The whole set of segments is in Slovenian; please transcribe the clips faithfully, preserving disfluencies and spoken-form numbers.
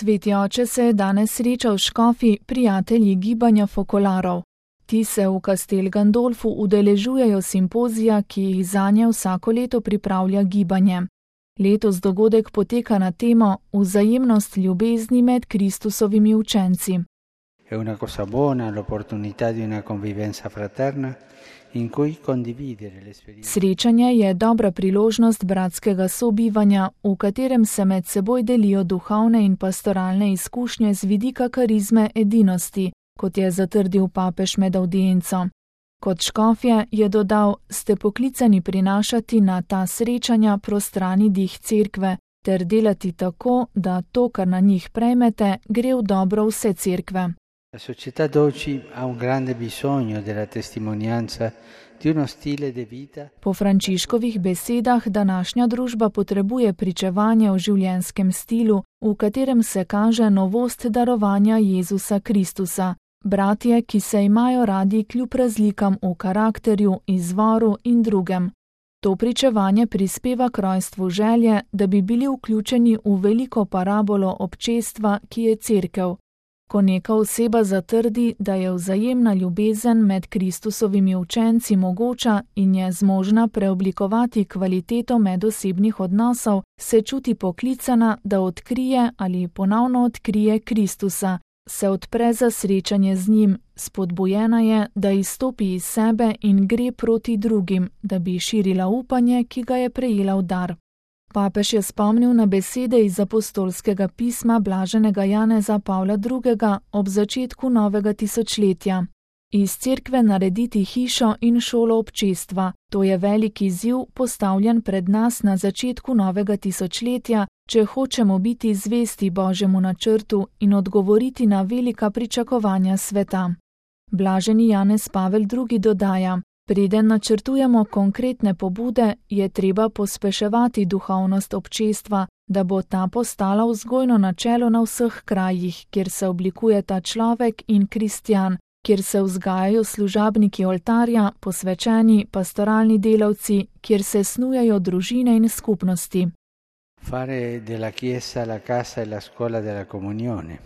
Sveti oče se je danes srečal s škofi, prijatelji gibanja fokolarov. Ti se v Castel Gandolfu udeležujejo simpozija, ki jih zanje vsako leto pripravlja gibanje. Letos dogodek poteka na temo Vzajemnost ljubezni med Kristusovimi učenci. È una cosa buona l'opportunità di una convivenza fraterna in cui condividere l'esperienza. Srečanje je dobra priložnost bratskega sobivanja, v katerem se med seboj delijo duhovne in pastoralne izkušnje z vidika karizme edinosti, kot je zatrdil papež med avdienco. Kot škofje je dodal, ste poklicani prinašati na ta srečanja prostrani dih cerkve ter delati tako, da to, kar na njih prejmete, gre v dobro vse cerkve. La società d'oggi ha un grande bisogno della testimonianza di uno stile di vita. Po Frančiškovih besedah današnja družba potrebuje pričevanje o življenjskem stilu, v katerem se kaže novost darovanja Jezusa Kristusa. Bratje, ki se imajo radi kljub razlikam v karakterju, izvoru in drugem. To pričevanje prispeva k rojstvu želje, da bi bili vključeni v veliko parabolo občestva, ki je cerkev. Ko neka oseba zatrdi, da je vzajemna ljubezen med Kristusovimi učenci mogoča in je zmožna preoblikovati kvaliteto medosebnih odnosov, se čuti poklicana, da odkrije ali ponovno odkrije Kristusa, se odpre za srečanje z njim, spodbujena je, da izstopi iz sebe in gre proti drugim, da bi širila upanje, ki ga je prejela v dar. Papež je spomnil na besede iz apostolskega pisma blaženega Janeza Pavla drugega ob začetku novega tisočletja. Iz cerkve narediti hišo in šolo občestva, to je velik izziv postavljen pred nas na začetku novega tisočletja, če hočemo biti zvesti Božjemu načrtu in odgovoriti na velika pričakovanja sveta. Blaženi Janez Pavel drugi dodaja, preden načrtujemo konkretne pobude, je treba pospeševati duhovnost občestva, da bo ta postala vzgojno načelo na vseh krajih, kjer se oblikuje ta človek in kristjan, kjer se vzgajajo služabniki oltarja, posvečeni, pastoralni delavci, kjer se snujejo družine in skupnosti. Fare della Chiesa la casa e la scuola della comunione.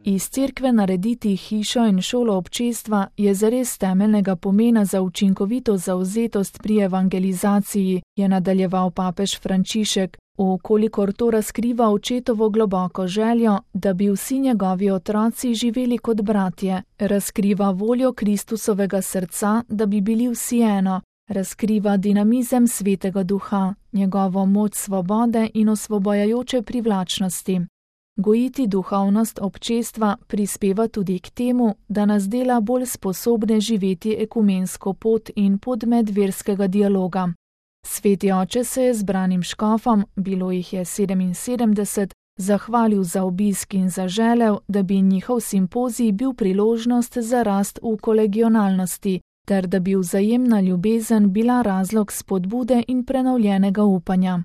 Iz cerkve narediti hišo in šolo občestva je zares temeljnega pomena za učinkovito zavzetost pri evangelizaciji, je nadaljeval papež Frančišek, vkolikor to razkriva očetovo globoko željo, da bi vsi njegovi otroci živeli kot bratje, razkriva voljo Kristusovega srca, da bi bili vsi eno, razkriva dinamizem Svetega Duha, njegovo moč svobode in osvobajajoče privlačnosti. Gojiti duhovnost občestva prispeva tudi k temu, da nas dela bolj sposobne živeti ekumensko pot in pot medverskega dialoga. Sveti oče se je zbranim škofom, bilo jih je sedeminsedemdeset, zahvalil za obisk in zaželel, da bi njihov simpozij bil priložnost za rast v kolegionalnosti, ter da bi vzajemna ljubezen bila razlog spodbude in prenovljenega upanja.